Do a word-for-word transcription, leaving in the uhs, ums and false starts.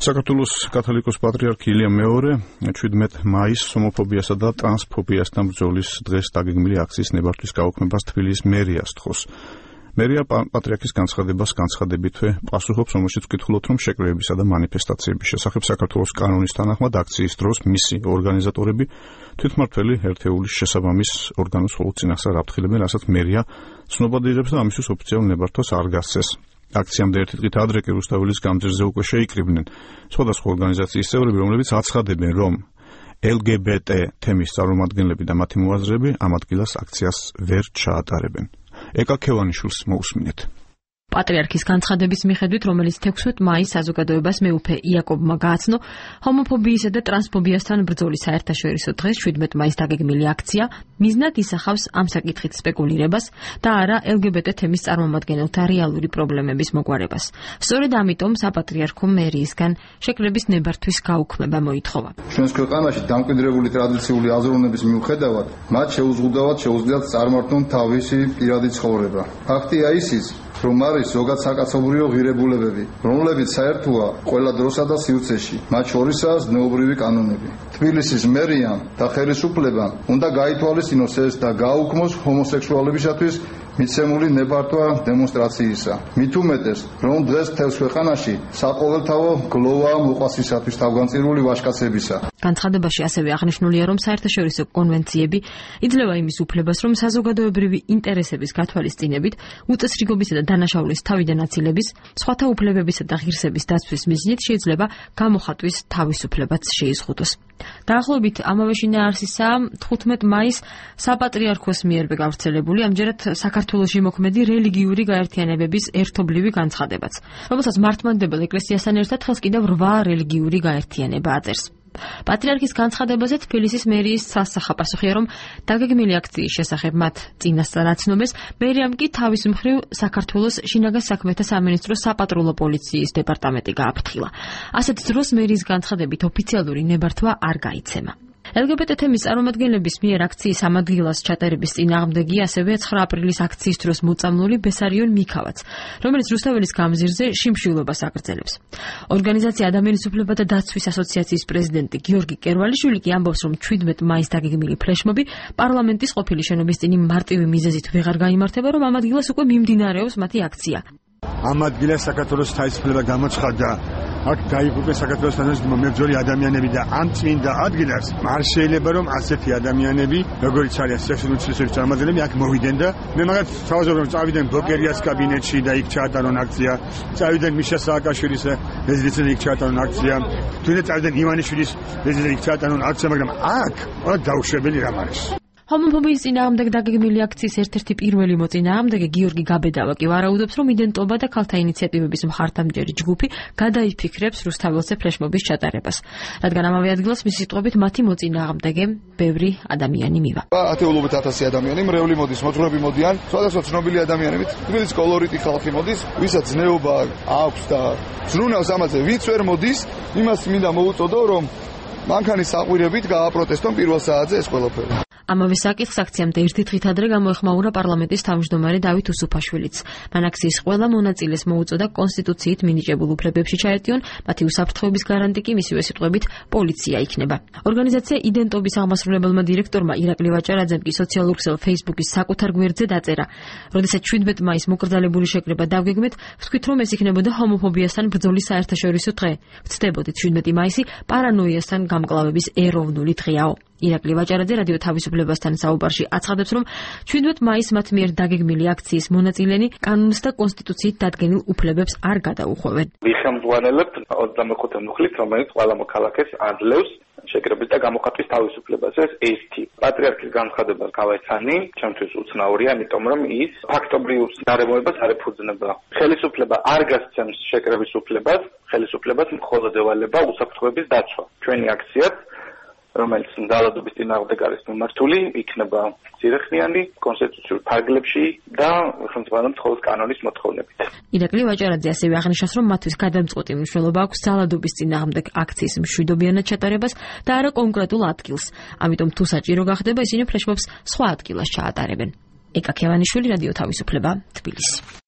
საქართველოს კათოლიკოს პატრიარქი ილია მეორე შვიდმეტ მაისს ჰომოფობიასა და ტრანსფობიასთან ბრძოლის დღეს დაგეგმილი აქციის ნებართვის გაუქმებას თბილისის მერია სთხოვს. მერია პატრიარქის განცხადებას განცხადებითვე პასუხობს, რომელშიც ვკითხულობთ, რომ შეკრებებისა და მანიფესტაციების შესახებ საქართველოს კანონის თანახმად აქციის დროს მისი ორგანიზატორები თვითმმართველი ერთეულის შესაბამის ორგანოს მხოლოდ წინასწარ აფრთხილებენ, რასაც მერია ცნობად იღებს და ამისთვის ოფიციალურ ნებართვას არ გასცეს. აქციამდე ერთი დღით ადრე კი რუსთაველის გამზირზე უკვე შეიკრიბნენ სხვადასხვა ორგანიზაციის წევრები, რომლებიც აცხადებენ, რომ ელ გი ბი ტი თემის წარმომადგენლები და მათი მოაზრეები ამ ადგილას აქციას ვერ ჩაატარებენ. ეკა ქევანიშვილს მოусმინეთ. პატრიარქის განცხადების მიხედვით, რომელიც თექვსმეტ მაისს საზოგადოებას მეუფე იაკობმა გააცნო, ჰომოფობიისა და ტრანსფობიასთან ბრძოლის საერთაშორისო დღეს შვიდმეტ მაისს დაგეგმილი აქცია მიზნად ისახავს ამ საკითხით სპეკულირებას და არა ელ გი ბი ტი თემის წარმომადგენელთა რეალური პრობლემების მოგვარებას. სწორედ ამიტომ საპატრიარქო მერიისგან შეკრების ნებართვის გაუქმება მოითხოვა. ჩვენს ქვეყანაში დამკვიდრებული ტრადიციული აზროვნების მიუხედავად, მათ შეუზღუდავად შეუძლიათ წარმართონ თავისი პირადი ცხოვრება. ფაქტია ისიც, რომ არის ზოგად საკაცობრიო ღირებულებები, რომლებიც საერთოა ყველა დროსა და სივრცეში, მათ შორისაა ზნეობრივი კანონები. თბილისის მერიამ და ხელისუფლებამ უნდა გაითვალისწინოს ეს და გააუქმოს ჰომოსექსუალებისათვის მიცემული ნებართვა დემონსტრაციისა. მით უმეტეს, რომ დღეს მთელს ქვეყანაში საყოველთაო გლოვა მოყვასისათვის თავგანწირული ვაჟკაცებისა. განცხადებაში ასევე აღნიშნულია, რომ საერთაშორისო კონვენციები იძლევა იმის უფლებას, რომ საზოგადოებრივი ინტერესების გათვალისწინებით უწესრიგობისა და დანაშაულის თავიდან აცილების, სხვათა უფლებებისა და ღირსების დაცვის მიზნით შეიძლება გამოხატვის თავისუფლებაც შეიზღუდოს. დაახლოებით ამავე შინაარსისა თხუთმეტ მაისს საპატრიარქოს მიერ გავრცელებული ამჯერად საქართველოში მოქმედი რელიგიური გაერთიანებების ერთობლივი განცხადებაც, რომელსაც მართლმადიდებელ ეკლესიასთან ერთად ხელს კიდევ რვა რელიგიური გაერთიანება აწერს. პატრიარქის განცხადებაზე თბილისის მერიის სასახა პასუხია, რომ დაგეგმილი აქციის შესახებ მათ წინასწარ აცნობეს, მერიამ კი თავის მხრივ საქართველოს შინაგან საქმეთა სამინისტროს საპატრულო პოლიციის დეპარტამენტი გააფრთხილა. ასეთ დროს მერიის განცხადებით ოფიციალური ნებართვა არ გაიცემა. ელ გი ბი ტი თემის წარმომადგენლების მიერ აქციის ამ ადგილას ჩატარების წინააღმდეგი ასევე ცხრა აპრილის აქციის დროს მოწამლული ბესარიონ მიქავაც, რომელიც რუსთაველის გამზირზე შიმშილობას აგრძელებს. ორგანიზაცია ადამიანის უფლებათა დაცვის ასოციაციის პრეზიდენტი გიორგი კერვალიშვილი კი ამბობს, რომ შვიდმეტ მაისს დაგეგმილი ფლეშმობი პარლამენტის ყოფილი შენობის წინ მარტივი მიზეზით ვეღარ გაიმართება, რომ ამ ადგილას უკვე მიმდინარეობს მათი აქცია. ამ ადგილას საქართველოს თავისუფლება გამოცხადდა. აქ გაიგებენ საქართველოს თანამედროვე მებრძოლი ადამიანები და ამ წმინდა ადგილას არ შეიძლება რომ ასეთი ადამიანები, როგორიც არის სექსუალური ცვლილებების წარმომადგენლები, აქ მოვიდნენ და მე მაგათ თავაზობ რომ წავიდნენ ბლოკერიას კაბინეტში და იქ ჩაატარონ აქცია, წავიდნენ მიშა სააკაშვილის რეზიდენციაში იქ ჩაატარონ აქცია, თუნდაც წავიდნენ ივანიშვილის რეზიდენციაში იქ ჩაატარონ აქცია, მაგრამ აქ რა დაუშვებელი რამ არის. ჰომოფობიის წინააღმდეგ დაგეგმილი აქციის ერთ-ერთი პირველი მოწინააღმდეგე გიორგი გაბედავა კი ვარაუდობს, რომ იდენტობა და ქალთა ინიციატივების მხარდამჭერი ჯგუფი გადაიფიქრებს რუსთაველზე ფლეშმობის ჩატარებას, რადგან ამავე ადგილას მისი სიტყვებით მათი მოწინააღმდეგე ბევრი ადამიანი მივა. ათეულობით ათასი ადამიანი მრევლი მოდის, მოძღვრები მოდიან, სხვადასხვა ცნობილი ადამიანებით, თბილისის კოლორიტი ხალხი მოდის, ვისაც ზნეობა აქვს და ზრუნავს ამაზე ვიც ვერ მოდის, იმას მინდა მოუწოდო, რომ მანქანის საყვირებით გააპროტესტონ პირველ საათზე ეს ყველაფერი. ამავე საკითხს აქციამდე ერთი დღით ადრე გამოეხმაურა პარლამენტის თავმჯდომარე დავით უსუფაშვილიც. მან აქციის ყველა მონაწილეს მოუწოდა კონსტიტუციით მინიჭებულ უფლებებში ჩაეტიონ, მათი უსაფრთხოების გარანტი კი მისივე სიტყვებით პოლიცია იქნება. ორგანიზაცია იდენტობის აღმასრულებელმა დირექტორმა ირაკლი ვაჭარაძემ კი სოციალურ ქსელ Facebook-ის საკუთარ გვერდზე დაწერა: როდესაც შვიდმეტ მაისს მოკრძალებული შეკრება დავგეგმეთ, ვთქვით, რომ ეს იქნებოდა ჰომოფობიასთან ბრძოლის საერთაშორისო დღე. ვცდებოდით შვიდმეტი მაისი პარანოიასთან გამკლავების ეროვნული დღეაო. ირაკლი ვაჭარაძე რადიო თავისუფლებასთან საუბარში აცხადებს, რომ შვიდმეტ მაისს მათ მიერ დაგეგმილი აქციის მონაწილენი კანონს და კონსტიტუციით დადგენილ უფლებებს არ გადაუხვევენ. ვიხმოვანებთ ოცდამეხუთე მუხლით, რომელიც ყველა მოქალაქეს აძლევს შეკრების და გამოხატვის თავისუფლებას. ეს ერთი პატრიარქის განცხადებას გავაიცანი, ჩემთვის უცნაურია, იმიტომ რომ ის ფაქტობრივ გარემოებას არ ეფუძნება. ხელისუფლება არ გასცემს შეკრების უფლებას, ხელისუფლებას მხოლოდ ევალება უსაფრთხოების დაცვა. ჩვენი აქციაც, რომელიც ძალადობის წინააღმდეგ არის მიმართული, იქნება ძირეხნიანი, კონსტიტუციურ ფარგლებში და ხელმძღვანელობს მხოლოდ კანონის მოთხოვნებით. ირაკლი ვაჭარაძე ასევე აღნიშნავს, რომ მათთვის გადამწყვეტი მნიშვნელობა აქვს ძალადობის წინააღმდეგ აქციის მშვიდობიანად ჩატარებას და არა კონკრეტულ ადგილს. ამიტომ თუ საჭირო გახდება, ისინი ფლეშმობს სხვა ადგილას ჩაატარებენ. ეკა ქევანიშვილი, რადიო თავისუფლება, თბილისი.